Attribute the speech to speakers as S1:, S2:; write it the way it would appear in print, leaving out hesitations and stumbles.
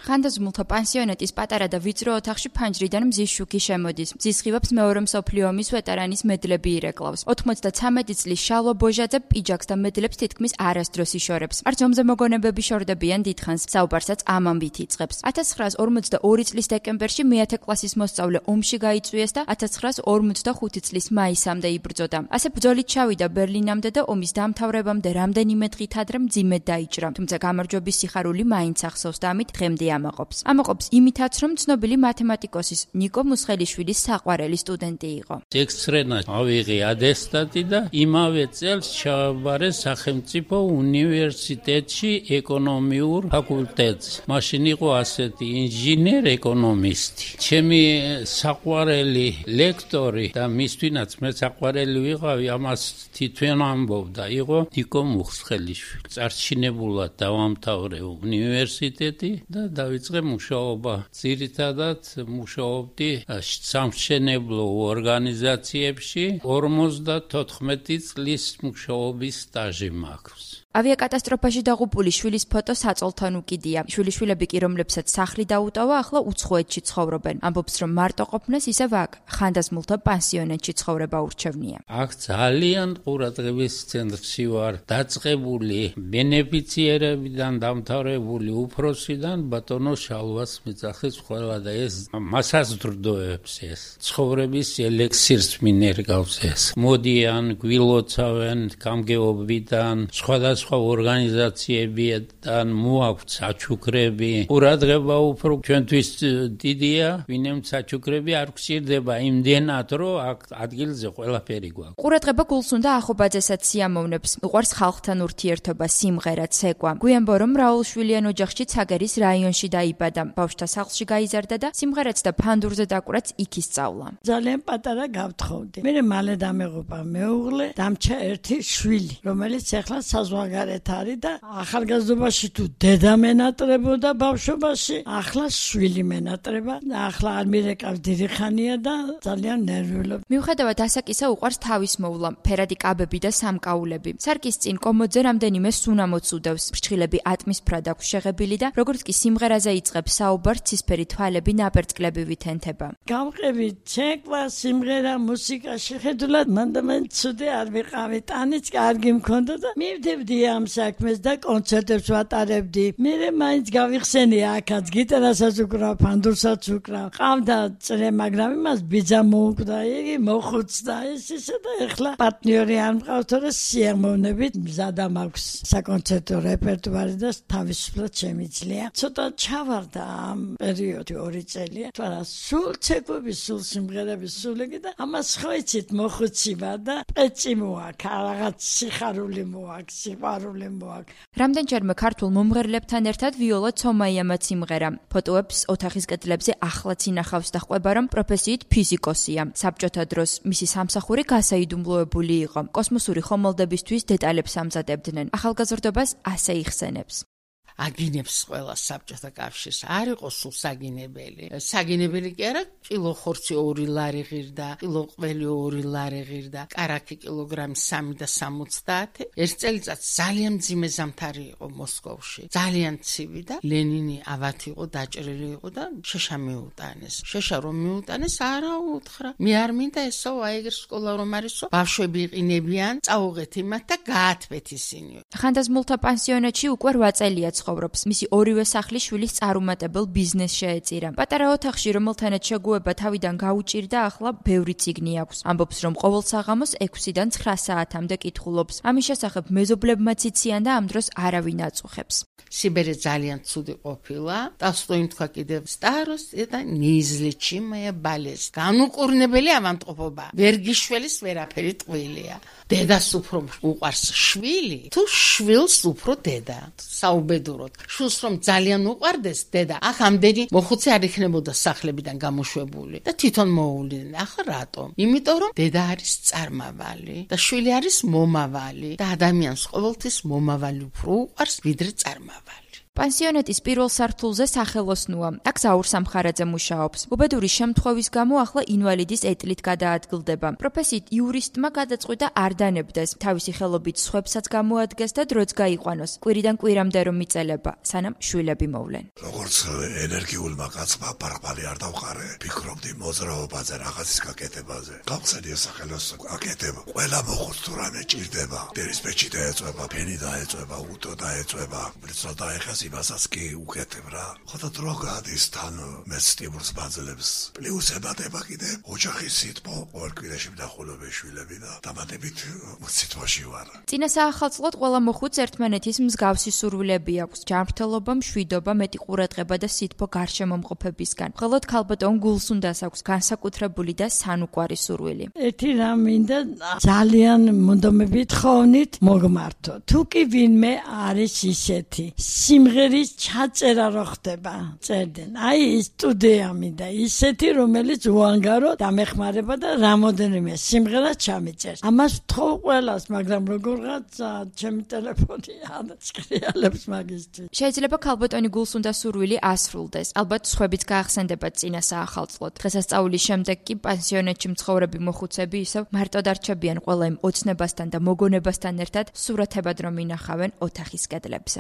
S1: ხანდაზმულთა პანსიონატის პატარა და ვიწრო ოთახში ფანჯრიდან მზის შუქი შემოდის. მზის ხივებს მეორე მსოფლიო ომის ვეტერანის მედლები ირეკლავს. 93 წლის შალვა ბოჟაძე პიჯაკს და მედლებს თითქმის არასდროს იშორებს. არც ომზე მოგონებები შორდებიან დიდხანს, საუბარსაც ამ ამბით იწყებს. 1942 წლის დეკემბერში მეათე კლასის მოსწავლე ომში გაიწვიეს და 1945 წლის მაისამდე იბრძოდა. ასე ბრძოლით ჩავიდა ბერლინამდე და ომის დამთავრებამდე რამდენიმე დღით ადრე მძიმედ დაიჭრა. თუმცა გამარჯვების სიხარული მაინც ახსოვს და ამით დღემდე ამაყობს. ამაყობს იმითაც, რომ ცნობილი მათემატიკოსის ნიკო მუსხელიშვილის საყვარელი სტუდენტი იყო.
S2: ექსტრენა ავიღე ატესტატი და იმავე წელს ჩავაბარე სახელმწიფო უნივერსიტეტში ეკონომიურ ფაკულტეტზე. მაშინ იყო ასეთი ინჟინერ ეკონომისტი. ჩემი საყვარელი ლექტორი და მისთვინაც მე საყვარელი ვიყავი, ამას თვითონ ამბობდა, იყო ნიკო მუსხელიშვილი. წარჩინებულად დავამთავრე უნივერსიტეტი და დავიწყე მუშაობა. ძირითადად მუშაობდი სამშენებლო ორგანიზაციებში, 54 წლის მუშაობის სტაჟი მაქვს.
S1: ავიაკატასტროფაში დაღუპული შვილის ფოტო საწოლთან უკიდია. შვილიშვილები კი, რომლებსაც სახლი დაუტოვა, ახლა უცხოეთში ცხოვრობენ. ამბობს, რომ მარტო ყოფნას ისევ აქ, ხანდაზმულთა პანსიონატში ცხოვრება ურჩევნია.
S2: აქ ძალიან ყურადღების ცენტრში ვარ, დაწყებული ბენეფიციერებიდან დამთავრებული უფროსიდან ბატონო შალვას მიწახის ყველა და ეს მასას დრდოებს ეს. ცხოვრების ელექსირს მინერგავს ეს. მოდიან, გვილოცავენ გამგეობიდან, სხვადასხვა ორგანიზაციებიდან მოაქვთ საჩუქრები. ყურადღება უფრო ჩვენთვის დიდია, ვინმე საჩუქრები არ გვჭირდება იმდენად, რომ აქ ადგილზე ყველაფერი გვაქვს.
S1: ყურადღება გულს უნდა ახობაძესაც სიამოვნებს. უყვარს ხალხთან ურთიერთობა, სიმღერა, ცეკვა. გვიანბო, რომ რაულშვილიან ოჯახში ცაგერის რაიონში დაიბადა. ბავშვთა სახლში გაიზარდა და სიმღერაც და ფანდურზე დაკვრაც იქ ისწავლა.
S3: ძალიან პატარა გავთხოვდი. მე მალე დამეღუპა მეუღლე, დამჩა ერთი შვილი, რომელიც ახლა საზღვარგარეთ არის და ახალგაზრდობაში თუ დედა მენატრებოდა ბავშვობაში, ახლა შვილი მენატრება და ახლა არ მირეკავს დიდი ხანია და ძალიან ნერვიულობ.
S1: მიუხედავად ასაკისა უყვარს თავის მოვლა, ფერადი კაბები და სამკაულები. სარკის წინ კომოდზე რამდენიმე სუნამოც უდევს. ფრჩხილები ატმისფრად აქვს შეღებილი და როგორც კი სიმღერაზე იწყებს საუბარს, ცისფერი თვალები ნაპერწკლები ვითენთება.
S3: გავყევი ცეკვა, სიმღერა, მუსიკა შეხედულად მან და მან ცუდი არ ვიყავი. ტანიც კარგი მქონდა და მივდებდი ამ საქმეს და კონცერტებს ვატარებდი. მე მაინც გავიხსენია აქაც გიტარასაც უკრავ, ფანდურსაც უკრავ. ყავდა წრე, მაგრამ იმას ბიძა მოუკვდა, იგი მოხუცდა ისე და ეხლა პარტნიორი არ მყავს, თორე სიამოვნებით მზადა მაქვს საკონცერტო რეპერტუარი და თავისუფლად შემიძლია. ცოტა ჩავარდა ამ პერიოდი 2 წელია. თორე სულ ცეკვები, სულ სიმღერები, სულ იგი და ამას ხო იცით მოხუცი ვარ და პეჭი მოაქვს, რაღაც სიხარული მოაქვს, სიყვარული მოაქვს.
S1: რამდენჯერმე ქართულ მომღერლებთან ერთად ვიოლა ცომაიამაც იმღერა. ფოტოებს ოთახის კედლებზე ახლაც ინახავს და ყვება, რომ პროფესიით ფიზიკოსია. საბჭოთა დროს მისი სამსახური გასაიდუმლოებული იყო. კოსმოსური ხომალდებისთვის დეტალებს ამზადებდნენ. ახალგაზრდობას ასე იხსენებს.
S4: აგინებს ყველა საბჭოთა კავშირს არ იყო სულ საგინებელი. საგინებელი კი არა, კილო ხორცი 2 ლარი ღირდა, კილო ყველი 2 ლარი ღირდა, კარაქი კილოგრამი 3 და 70. ერთ წელიწადს ძალიან მძიმე ზამთარი იყო მოსკოვში. ძალიან ცივი და ლენინი ავათი იყო, დაჭრილი იყო და შეშა მიუტანეს. შეშა რომ მიუტანეს, არა უთხრა. მე არ მინდა ესო აიგერ სკოლა რომ არისო, ბავშვები იყინებიან, წაუღეთ იმათ და გაათვეთ ისინი.
S1: ხანდაზმულთა პანსიონატში უკვე 8 წელია ცხოვრობს. მისი ორივე სახლი შვილის წარუმატებელ ბიზნესს შეეწირა. პატარა ოთახში, რომელთანაც შეგუება თავიდან გაუჭირდა, ახლა ბევრი წიგნი აქვს. ამბობს, რომ ყოველ საღამოს 6-დან 9 საათამდე კითხულობს. ამის შესახებ მეზობლებმაც იციან და ამ დროს არავინ აწუხებს.
S4: სიბერე ძალიან ცუდი ყოფილა. ტოლსტოიმ თქვა კიდევ სტაროსტი და ნიზლიჩიმია ბალეს. განუკურნებელი ავადმყოფობა. ვერგიშვილის ვერაფერი ტყუილია. დედას უფრო უყვარს შვილი, თუ შვილს უფრო დედა. საუბედუროდ. შვილს რომ ძალიან უყვარდეს დედა, ახ ამდენი მოხუცი არ იქნებოდა სახლებიდან გამოშვებული და თვითონ მოუვლიდნენ. ახლა რატომ? იმიტომ რომ დედა არის წარმავალი და შვილი არის მომავალი და ადამიანს ყოველთვის მომავალი უფრო უყვარს ვიდრე წარმავალი.
S1: პანსიონატის პირველ სართულზე სახელოსნოა. აქ ზაურ სამხარაძე მუშაობს. უბედური შემთხვევის გამო ახლა ინვალიდის ეტლით გადაადგილდება. პროფესიით იურისტმა გადაწყვიტა არ დანებდეს. თავისი ხელობით სხვებსაც გამოადგეს და დროც გაიყვანოს. კვირიდან კვირამდე რომ მიწელება, სანამ შვილები მოვლენ.
S5: როგორც ენერგიულმა კაცმა პარყალი არ დავყარე, ფიქრობდი მოძრაობაზე, რაღაცის გაკეთებაზე. გავხსენია სახელოსნო აკეთებ. ყველა მოხუც თუ რამე ჭირდება. დერისპეჩი დაეწובה, ფენი დაეწובה, უტო დაეწובה. ბრიცო დაეხას იმასაც კი უკეთებ რა. ხოდა დრო გადის თან მეც სტიმულს ბაძლებს. პლუს ებადება კიდე ოჯახის სიტყვა, ყოველ კვირაში მდახულობე შვილები და დამატებით სიტყვაში ვარ.
S1: წინა საახალწლოდ ყველა მოხუც ერთმანეთის მსგავსი სურვილები აქვს. ჯანმრთელობა, მშვიდობა, მეტი ყურადღება და სითბო გარშემომყოფებისგან. მხოლოდ ქალბატონ გულსუნდას აქვს განსაკუთრებული და სანუკვარი სურვილი.
S3: ერთი რამ მინდა ძალიან მონდომებით ხოვნით მოგმართო. თუ კი ვინმე არის ისეთი სიმღერის ჩაწერა რო ხდება, წერდნენ. აი ის სტუდია მინდა ისეთი, რომელიც უანგარო დამეხმარება და რამოდენიმე სიმღერა ჩამიწერს. ამას ვთხოვ ყველას, მაგრამ როგორღაცა ჩემი ტელეფონი ჭრიალებს მაგისტრი.
S1: შეიძლება ქალბატონი გულსუნდას სურვილი ასრულდეს. ალბათ სხვებიც გაახსენდებათ წინა საახალწლოდ. დღესასწაულის შემდეგ კი პანსიონატში მცხოვრები მოხუცები ისევ მარტო დარჩებიან ყველა იმ ოცნებასთან და მოგონებასთან ერთად სურათებად რომ ინახავენ ოთახის კედლებზე.